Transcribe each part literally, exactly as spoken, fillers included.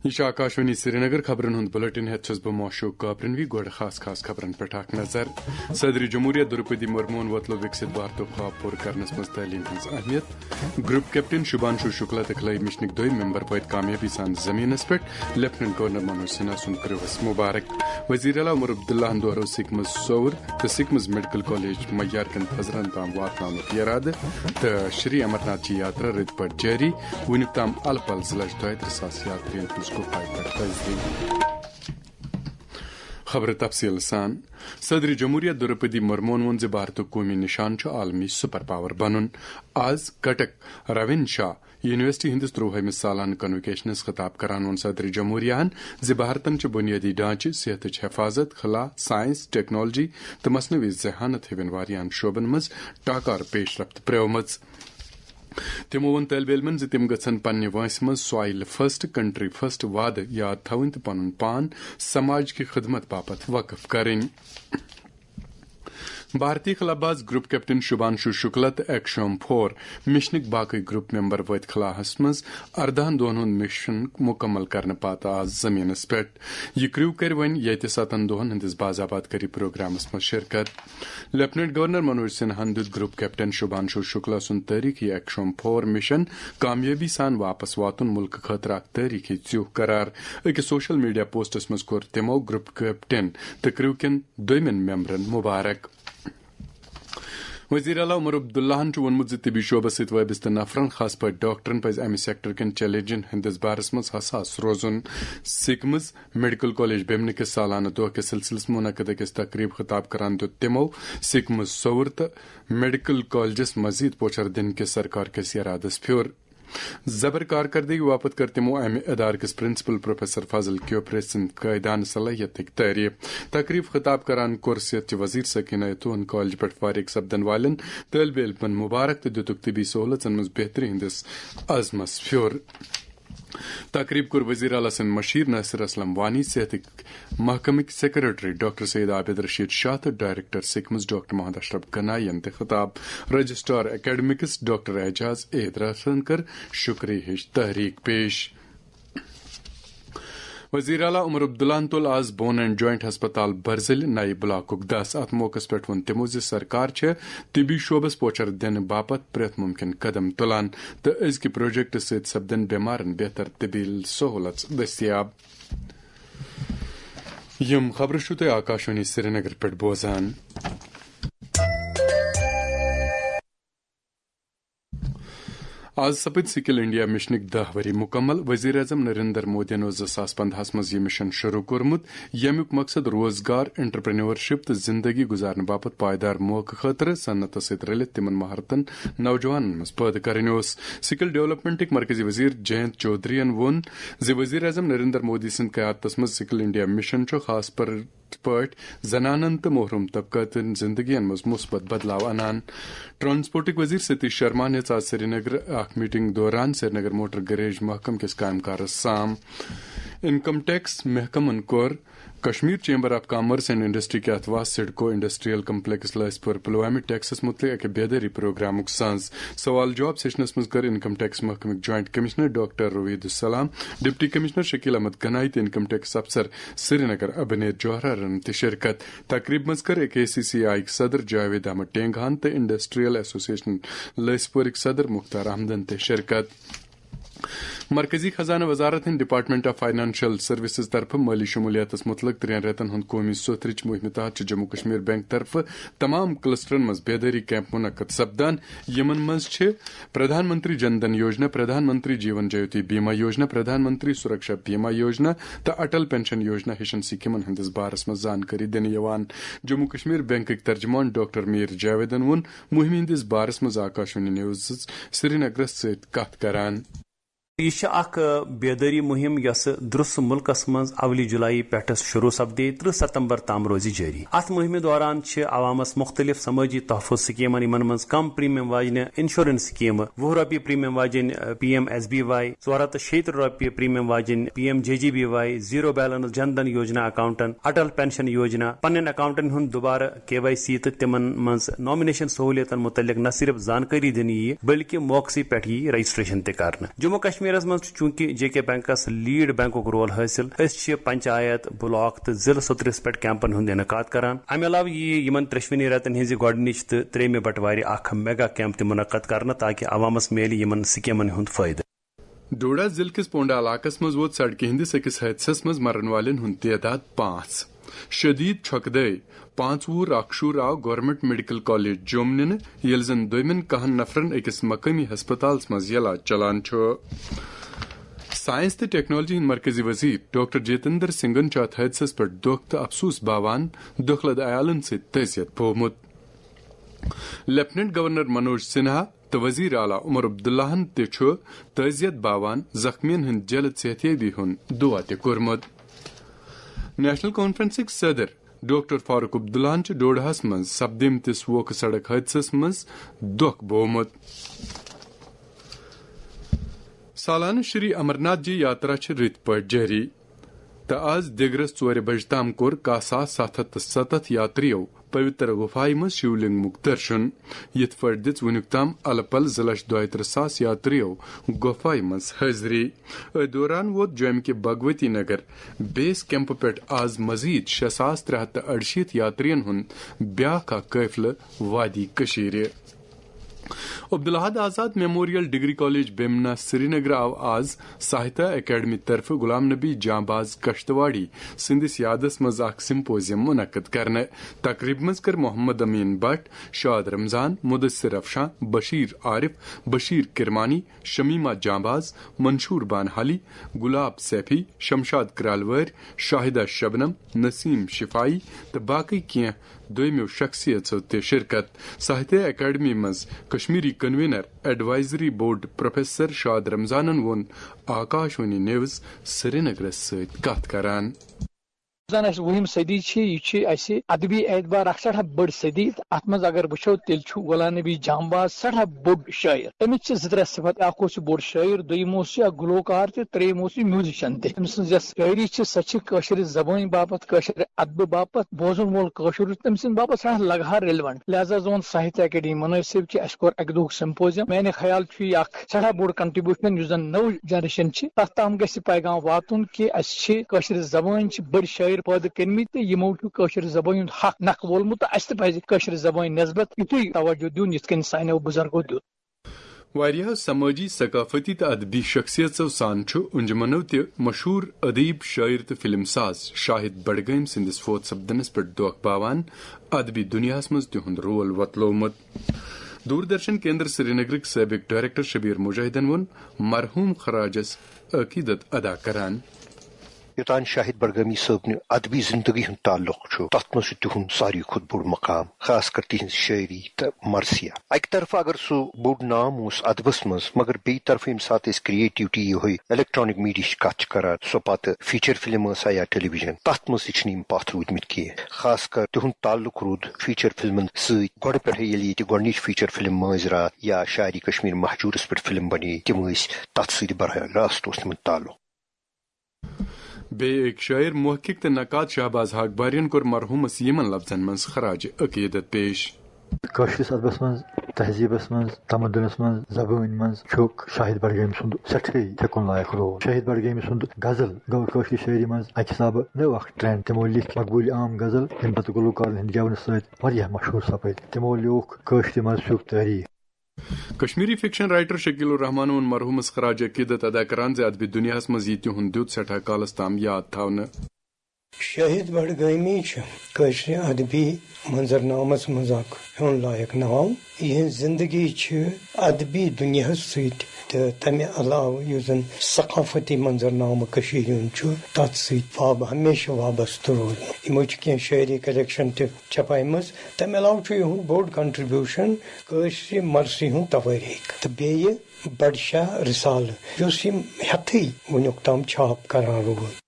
یہ چھُ آکاشوانی سرینگر۔ خبرن ہُنٛد بلیٹن ہیتھ چھُس بہٕ موشوق کابرنوی۔ گۄڈٕ خاص خاص خبرن پٮ۪ٹھ اکھ نظر۔ صدر جمہوریہ درپدی مرموہن وۄتلو وکسِت بھارتُک خواب پوٗرٕ کرنس منٛز تعلیٖم ہٕنٛز اہمیت۔ گروپ کیپٹن شبھانشو شکلا تہٕ کھلٲوۍ مشنٕکۍ دۄیہِ ممبر وٲتۍ کامیٲبی سان زمینس پٮ۪ٹھ۔ لیفٹننٹ گورنر منوج سنہا سُنٛد کٔرٕوس مبارک۔ وزیر اعلیٰ عمر عبداللہن دۄہرٲو سکمز سوٚوُر تہٕ سکمز میڈیکل کالج معیار کٮ۪ن تھزرن تام واتناونُک ارادٕ، تہٕ شری امرناتھ جی یاترا رٕتۍ پٲٹھۍ جٲری۔ وُنیُک تام الہٕ پلہٕ زٕ لچھ دۄیہِ ترٕٛہ ساس یاترین ہٕنٛز گُفایہِ پٮ۪ٹھ تجدید۔ خبرٕ تفصیٖل سان۔ صدر جمہوریہ درپدی مرموہن ووٚن زِ بھارتُک قومی نشان چھُ عالمی سپر پاور بنُن۔ آز کٹک روین شاہ یونیورسٹی ہٕنٛدِس ترٛۆہمِس سالانہٕ کنوکیشنس خطاب کران ووٚن صدر جمہوریہن زِ بھارتن چھِ بنیٲدی ڈھانچہٕ، صحتٕچ حفاظت، خلا، سائنس، ٹیکنالوجی تہٕ مصنوعی ذہانت ہِوٮ۪ن واریاہن شعبن منٛز ٹاکار پیش رفت پرٛٲومٕژ۔ تِمو ووٚن طٲلبہِ علمن زِ تِم گژھن پننہِ وٲنٛسہِ منٛز سوائل فرسٹ، کنٹری فرسٹ وعدٕ یاد تھاوٕنۍ تہٕ پنُن پان سماج کہِ خدمت باپتھ وقف کرٕنۍ۔ بھارتی خلاباز گروپ کیپٹن شبھانشو شکلا تہٕ ایکشوم فور مشنٕکۍ باقٕے گروپ ممبر وٲتۍ خلاہس منٛز ارداہن دۄہن ہُنٛد مشن مکمل کرنہٕ پتہٕ آز زمینس پٮ۪ٹھ۔ یہِ کریو کرِ وۄنۍ ییٚتہِ ستن دۄہن ہٕنٛدِس باضابطہ کری پروگرامس منٛز شرکت۔ لیفٹننٹ گورنر منوج سنہاہن دیُت گروپ کیپٹن شبھانشو شکلا سُنٛد تٲریخی ایکشوم فور مشن کامیٲبی سان واپس واتُن ملکہٕ خٲطرٕ اکھ تٲریخی ژیوٚہ قرار۔ أکِس سوشل میڈیا پوسٹس منٛز کوٚر تِمو گروپ کیپٹن تہٕ کریو کٮ۪ن دوٚیمٮ۪ن ممبرن مبارک۔ وزیر اعلیٰ عمر عبداللہن چھُ ووٚنمُت زِ طبی شعبس سۭتۍ وابستہٕ نفرن، خاص پٲٹھۍ ڈاکٹرن، پزِ امہِ سیکٹر کٮ۪ن چیلنجن ہٕنٛدِس بارس منٛز حساس روزُن۔ سکمز میڈیکل کالج بیمنہِ کِس سالانہٕ دۄہ کِس سلسلس منٛز منعقد أکِس تقریب خطاب کران دیُت تِمو سکمز سوٚوُر تہٕ میڈیکل کالجس مزید پوچھر دِنہٕ کِس سرکار کِس ارادس پھیُر۔ زبر کارکردگی باپتھ کٔر تِمو امہِ ادارٕ کِس پرنسپل پروفیسر فاضل کیوپرے سٕنٛدِ قٲیدانہٕ صلٲحیتٕکۍ تعریف۔ تقریب خطاب کران کوٚر صحت چہِ وزیر سکینہ اتوہن کالج پٮ۪ٹھ فارغ سپدن والٮ۪ن طٲلبہِ علمن مبارک تہٕ دِتُکھ طبی سہولژن منٛز بہتری ہٕنٛدِس عزمس پھیُر۔ تقریب کوٚر وزیر اعلیٰ سٕنٛدۍ مشیر ناصر اسلم وانی، صحتٕکۍ محکمٕکۍ سیکرٹری ڈاکٹر سید عابد رشید شاہ تہٕ ڈائریکٹر سکمز ڈاکٹر محمد اشرف گنائی ین تہِ خطاب۔ Registrar academics doctor Ejaz A دراسن کٔر شکریہ ہٕچ تحریک پیش۔ وزیر اعلیٰ عمر عبداللہن تُل آز بون اینڈ جوائنٹ ہسپتال برزلہِ نَیہِ بلاکُک دَس۔ اتھ موقعس پٮ۪ٹھ ووٚن تِمو زِ سرکار چھےٚ طبی شعبس پوچھر دِنہٕ باپتھ پرٛٮ۪تھ مُمکِن قدم تُلان تہٕ أزکہِ پروجیکٹہٕ سۭتۍ سپدن بٮ۪مارن بہتر طبی سہولژ دٔستیاب۔ یِم خبرٕ چھِو تُہۍ آکاشوانی سرینگر پٮ۪ٹھ بوزان۔ آز سپٕدۍ سکل انڈیا مشنٕکۍ دَہ ؤری مکمل۔ وزیر اعظم نریندر مودیَن اوس زٕ ساس پندہَس منٛز یہِ مشن شروع کوٚرمُت، ییٚمیُک مقصد روزگار، انٹرپرینورشپ تہٕ زندگی گزارنہٕ باپتھ پائیدار موقعہٕ خٲطرٕ صنعتس سۭتۍ رلِتھ تِمن مہارتن نوجوانن منٛز پٲدٕ کرٕنۍ اوس۔ سکل ڈیولپمنٹٕکۍ مرکزی وزیر جینت چودھرین ووٚن زِ وزیر اعظم نریندر مودی سٕنٛدِ قیادتس منٛز سکل انڈیا مشن چھُ خاص پر پٲٹھۍ زنانن تہٕ محروم طبقاتن زندگین منٛز مثبت بدلاو انان۔ ٹرانسپورٹٕکۍ وزیر ستیش شرماہن ہیٚژ آز سرینگر اکھ میٹنگ دوران سرینگر موٹر گریج محکمہٕ کِس کامہِ کارس سام۔ انکم ٹیکس محکمن کوٚر Kashmir chamber of commerce and industry کہِ اتھوہ سڈکو انڈسٹریل کمپلیکس لٲسۍ پور پلوامہِ ٹیکسس متعلق اکہِ بیدٲری پروگرامُک سانز۔ سوال جواب سیشنس منٛز کٔر انکم ٹیکس محکمٕکۍ joint commissioner doctor Raveed us-Salam, deputy commissioner Shakeel Ahmad Ganai تہٕ انکم ٹیکس افسر سرینگر ابنیر جوہرارن تہِ شرکت۔ تقریب منٛز کٔر کے سی سی آئی صدر جاوید احمد ٹینگہن تہٕ انڈسٹریل ایسوسیشن لٲسۍ پورٕکۍ صدر مختار احمدن تہِ شرکت۔ مرکزی خزانہٕ وزارت ہٕنٛدِ ڈپارٹمنٹ آف فائنانشل سروسز طرفہٕ مٲلی شمولیاتس متعلق ترٛٮ۪ن رٮ۪تن ہُنٛد قومی سوٚتھ رٕچ مُہمہِ تحت چھِ جموں کشمیر بینک طرفہٕ تمام کلسٹرن منٛز بیدٲری کیمپ منعقد سپدان۔ یِمن منٛز چھِ پردھان منتری جن دھن یوجنا، پردھان منتری جیون جیوتی بیمہ یوجنا، پردھان منتری سرکشا بیمہ یوجنا تہٕ اٹل پینشن یوجنا ہِشن سکیمن ہٕنٛدِس بارس منٛز زانکٲری دِنہٕ یِوان۔ جموں کشمیر بینکٕکۍ ترجمان ڈاکٹر میر جاویدن ووٚن مُہِمہِ ہٕنٛدِس بارس منٛز آکاشوانی نیوزس سرینگرس سۭتۍ کتھ کران۔ یہِ چھِ اکھ، آ، بیدٲری مُہِم یۄسہٕ درٛس مُلکس منٛز اولی جُلایی پٮ۪ٹھٕ شروٗع سپدے، ترٕٛہ ستمبر تام روزِ جٲری۔ اتھ مُہِمہِ دوران چھِ عوامس مُختٔلِف سمٲجی تحفظ سکیمن، یِمن منٛز کم پریمیم واجنہِ انشورنس سکیمہٕ، وُہ رۄپیہِ پریمیم واجنۍ، آ، P M S B Y, ژور ہتھ تہٕ شیٚیہِ ترٕٛہ رۄپیہِ پریمیم واجنۍ P M J G B Y, zero balance Jan Dhan Yojana اکاؤنٹن، اٹل پینشن یوجنا، پننٮ۪ن اکاؤنٹن ہُنٛد دوبارٕ کے وائی سی تہٕ تِمن منٛز نامنیشن سہولیاتن مُتعلق نہ صرف زانکٲری دِنہٕ یِیہِ، بلکہِ موقعسٕے پٮ۪ٹھ یِیہِ رجسٹریشن تہِ کرنہٕ۔ جموں کشمیر کشمیرس منٛز چھُ چوٗنٛکہِ جے کے بینکس لیڈ بینکُک رول حٲصِل، أسۍ چھِ پنچایت، بلاک تہٕ ضلعہٕ سطرس پٮ۪ٹھ کیمپن ہُنٛد انعقاد کران۔ امہِ علاوٕ یِیہِ یِمن ترٛیٚشوٕنی رٮ۪تن ہٕنٛزِ گۄڈٕنِچ تہٕ ترٛیٚیِمہِ بٹوارِ اکھ میگا کیمپ تہِ منعقد کرنہٕ، تاکہِ عوامس میلہِ یِمن سکیمن ہُنٛد فٲیدٕ۔ ڈوڈہ ضلعہٕ کِس پونڈا علاقس منٛز ووت سڑکہِ ہٕنٛدِس أکِس حٲدثس منٛز مرن والٮ۪ن ہُنٛد تعداد پانٛژھ۔ شدید چھۄکہٕ دٲے پانٛژھ وُہُر اکھ شُر آو گورنمنٹ میڈیکل کالج جوٚم نِنہٕ، ییٚلہِ زن دوٚیمٮ۪ن کاہن نفرن أکِس مقٲمی ہسپتالس منٛز علاج چلان چھُ۔ ساینس تہٕ ٹیکنالوجی ہٕنٛدۍ مرکزی وزیر ڈاکٹر جتیندر سنگھن چھُ اتھ حٲدثس پٮ۪ٹھ دۄکھ تہٕ افسوس باوان دۄکھٕ لد عیالن سۭتۍ تعزیت بوومُت۔ لیفٹیننٹ گورنر منوج سنہا تہٕ وزیر اعلیٰ عمر عبداللہن تہِ چھُ تعزیت باوان زخمیَن ہٕنٛدِ جلد صحتیابی ہُنٛد دعا تہِ کوٚرمُت۔ نیشنل کانفرنسٕکۍ صدر ڈاکٹر فاروق عبداللہن چھُ ڈوڈہَس منٛز سپدیمتِس ووکھٕ سڑک حٲدثس منٛز دۄکھ بوومُت۔ سالانہٕ شری امرناتھ جی یاترا چھِ رٕتۍ پٲٹھۍ جٲری تہٕ آز دِگرس ژورِ بجہِ تام کوٚر کاہ ساس ستھ ہتھ تہٕ ستتھ یاترِیو پویتر غفایہِ منٛز شیولنگمُک درشن۔ یِتھ پٲٹھۍ دِژ وُنیُک تام الہٕ پلہٕ زٕ لچھ دۄیہِ ترٕٛہ ساس یاترِیو غفایہِ منٛز حٲضری۔ أتھۍ دوران ووت جوٚمہِ کہِ بھگوتی نگر بیس کیمپہٕ پٮ۪ٹھ آز مزید شےٚ ساس ترٛےٚ ہتھ تہٕ اَرشیٖتھ یاترِین ہُنٛد بیٛاکھ اکھ قٲفلہٕ وادی کٔشیٖرِ۔ عبدالاحد آزاد میموریل ڈگری کالج بیمنا سرینگر آو آز ساہتہ اکیڈمی طرفہٕ غلام نبی جانباز کشتواڑی سٕنٛدِس یادس منٛز اکھ سمپوزیم منعقد کرنہٕ۔ تقریبہِ منٛز کٔر محمد امین بٹ، شاد رمضان، مدثر افشاں، بشیر عارف، بشیر کرمانی، شمیمہ جانباز، منشور بانہالی، گلاب سیفی، شمشاد کرالوٲرۍ، شاہدہ شبنم، نسیم شفاعی تہٕ باقی کینٛہہ دوٚیمٮ۪و شخصیژو تہِ شرکت۔ ساہتیہ اکیڈمی منٛز Kashmiri convener advisory board professor شاد رمضانن ووٚن آکاشوانی نیوز سرینگرس سۭتۍ کتھ کران۔ زن اسہِ وُہِم صدی چھِ، یہِ چھِ اسہِ ادبی اعتبار اکھ سٮ۪ٹھاہ بٔڑ صدی۔ تہٕ اتھ منٛز اگر وٕچھو، تیٚلہِ چھُ غلام نبی جانباز سٮ۪ٹھاہ بوٚڑ شٲعر۔ تٔمِس چھِ زٕ ترٛےٚ صفت، اکھ اوس یہِ بوٚڑ شٲعر، دوٚیِم اوس یہِ اکھ گلوکار تہِ، ترٛیٚیِم اوس یہِ میوزیشن تہِ۔ تٔمۍ سٕنٛز یۄس شٲعری چھِ، سۄ چھِ کٲشرِ زبٲنۍ باپتھ، کٲشرِ ادبہٕ باپتھ، بوزن وول کٲشُر تٔمۍ سٕنٛدِ باپتھ سٮ۪ٹھاہ لگہار ریلیونٹ۔ لہذا زون ساہتیہ اکیڈمی منٲسب کہِ اسہِ کوٚر اکہِ دۄہُک سمپوزیم۔ میانہِ خیال چھُ یہِ اکھ سٮ۪ٹھاہ بوٚڑ کنٹریبیوشن، یُس زن نٔو جنریشن چھِ، تتھ تام گژھِ یہِ پیغام واتُن کہِ اسہِ چھِ کٲشرِ زبٲنۍ چھِ بٔڑۍ شٲعر پٲدٕ کٔرمٕتۍ تہٕ یِمو چھُ کٲشرِ زبٲنۍ ہُنٛد حق نکھٕ وولمُت تہٕ اسہِ تہِ پزِ کٲشرِ زبٲنۍ نسبت یُتھُے توجہ دیُن، یِتھ کٔنۍ سانیو بُزرگو دیُت۔ واریاہو سمٲجی، ثقافتی تہٕ ادبی شخصیژو سان چھُ انجمنو تہِ مشہوٗر ادیب، شٲعر تہٕ فلم ساز شاہد بڈگٲمۍ سٕنٛدِس فوت سپدنس پٮ۪ٹھ دۄکھ باوان ادبی دُنیاہس منٛز تِہُنٛد رول وۄتلوومُت۔ دوردرشن کیندر سرینگرٕکۍ سٲبق ڈائریکٹر شبیر مجاہدن ووٚن مرحوم خراجس عقیدت ادا کران۔ یوٚتام شاہد بڈگٲمی صٲبنہِ ادبی زندگی ہُنٛد تعلق چھُ، تتھ منٛز چھُ تِہُنٛد ساروی کھۄتہٕ بوٚڑ مقام، خاص کر تِہنٛز شٲعری تہٕ مرثیہ۔ اکہِ طرفہٕ اگر سُہ بوٚڑ نام اوس ادبس منٛز، مگر بیٚیہِ طرفہٕ ییٚمہِ ساتہٕ أسۍ کریٹیوٹی، یِہوٚے الیکٹرانک میڈیا ہٕچ کتھ چھِ کران، سۄ پتہٕ فیچر فلم ٲس یا ٹیلی ویژن، تتھ منٛز تہِ چھِنہٕ یِم پتھ روٗدمٕتۍ کینٛہہ۔ خاص کر تِہُنٛد تعلق روٗد فیچر فلمن سۭتۍ گۄڈٕ پٮ۪ٹھے، ییٚلہِ ییٚتہِ گۄڈنِچ فیچر فلم مٲنٛزۍ راتھ یا شاعری کشمیر مہجورس پٮ۪ٹھ فلم بنے، تِم ٲسۍ تتھ سۭتۍ براہ راست اوس تِمن تعلق۔ بیٚیہِ أکۍ شٲعر، محقق تہٕ نقاد شہباز حق بارین کوٚر مرحوٗمس یِمن لفظن منٛز خراج عقیدت پیش۔ کٲشرِس ادبس منٛز، تہذیبس منٛز، تمدنس منٛز، زبٲنۍ منٛز چھُ شاہد بڈگٲمۍ سُنٛد سٮ۪ٹھاہٕے تھٮ۪کُن لایق رول۔ شاہد بڈگٲمۍ سُنٛد غزل گوٚو کٲشرِ شٲعری منٛز اکہِ حسابہٕ نٔو اکھ ٹرینڈ۔ تِمو لیکھۍ مقبوٗلہِ عام غزل، ییٚمہِ پتہٕ گلوکارن ہٕنٛدِ گٮ۪ونہٕ سۭتۍ واریاہ مشہوٗر سپٕدۍ۔ تِمو لیوٗکھ کٲشرِ مذہبُک تٲریٖخ۔ کشمیری فکشن رائٹر شکیل الرحمان ووٚن مرحوٗمس خراج عقیدت ادا کران زِ ادبی دنیاہس منٛز یی تِہُنٛد دیُت سٮ۪ٹھاہ کالس تام یاد تھاونہٕ۔ شاہد بڈگٲمی چھِ کٲشرِ ادبی منظرنامس منٛز اکھ ہیوٚن لایق ناو۔ یِہنٛز زندگی چھِ ادبی دنیاہس سۭتۍ تہٕ تمہِ علاوٕ یُس زن ثقافتی منظرنامہٕ کٔشیٖرِ ہُنٛد چھُ، تتھ سۭتۍ واب-، ہمیشہٕ وابستہٕ روٗدمُت۔ یِمو چھِ کینٛہہ شٲعری کلیکشن تہِ چھپایمٕژ۔ تمہِ علاوٕ چھُ یِہُنٛد بوٚڑ کنٹریبیوشن کٲشرِ مرثی ہُنٛد توٲریٖخ تہٕ بیٚیہِ بڈشاہ رسالہٕ، یُس یِم ہٮ۪تھٕے وُنیُک تام چھاپ کران روٗد۔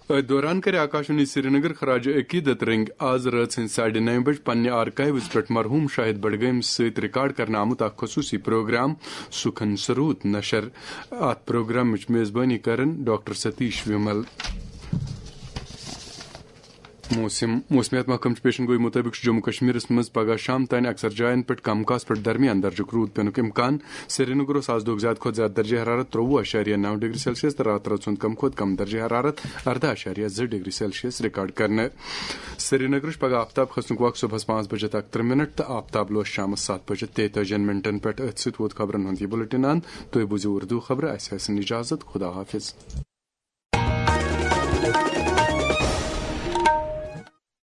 أتھۍ دوران کَرِ آکاشوانی سرینگر خراج عقیدت رٔنگۍ آز رٲژ ہٕنٛزِ ساڑِ نَیہِ بجہِ پننہِ آرکائیوز پٮ۪ٹھ مرحوم شاہد بڈگٲمۍ سۭتۍ ریکارڈ کرنہٕ آمُت اکھ خصوٗصی پروگرام سُکھن سروٗت نشر۔ اتھ پروگرامٕچ میزبٲنی کرن ڈاکٹر ستیش ومل۔ موسم موسمیات محکمہٕ چہِ پیشن گوئی مُطٲبِق چھُ جموں کشمیرس منٛز پگہہ شام تام اکثر جاین پٮ۪ٹھ کم کاس پٮ۪ٹھ درمیان درجُک روٗد پینُک امکان۔ سرینگرس آز دۄہُک زیادٕ کھۄتہٕ زیادٕ درجہ حرارت ترٛوُہ اعشاریہ نو ڈگری سیلسیس تہٕ راتہٕ رٲژ ہُنٛد کم کھۄتہٕ کم درجہ حرارت ارداہ اعشاریہ زٕ ڈگری سیلسیس ریکارڈ کرنہٕ۔ سرینگرس پگہہ آفتاب کھسنُک وقت صبحس پانٛژھ بجے تہٕ اکترٕہ منٹ تہٕ آفتاب لوس شامس ستھ بجے تیتٲجی منٹن پٮ۪ٹھ۔ أتھۍ سۭتۍ ووت خبرن ہُنٛد یہِ بُلٹن اند۔ تُہۍ بوٗزِو اردو خبرٕ۔ اسہِ ٲسِن اجازت۔ خدا حافظ۔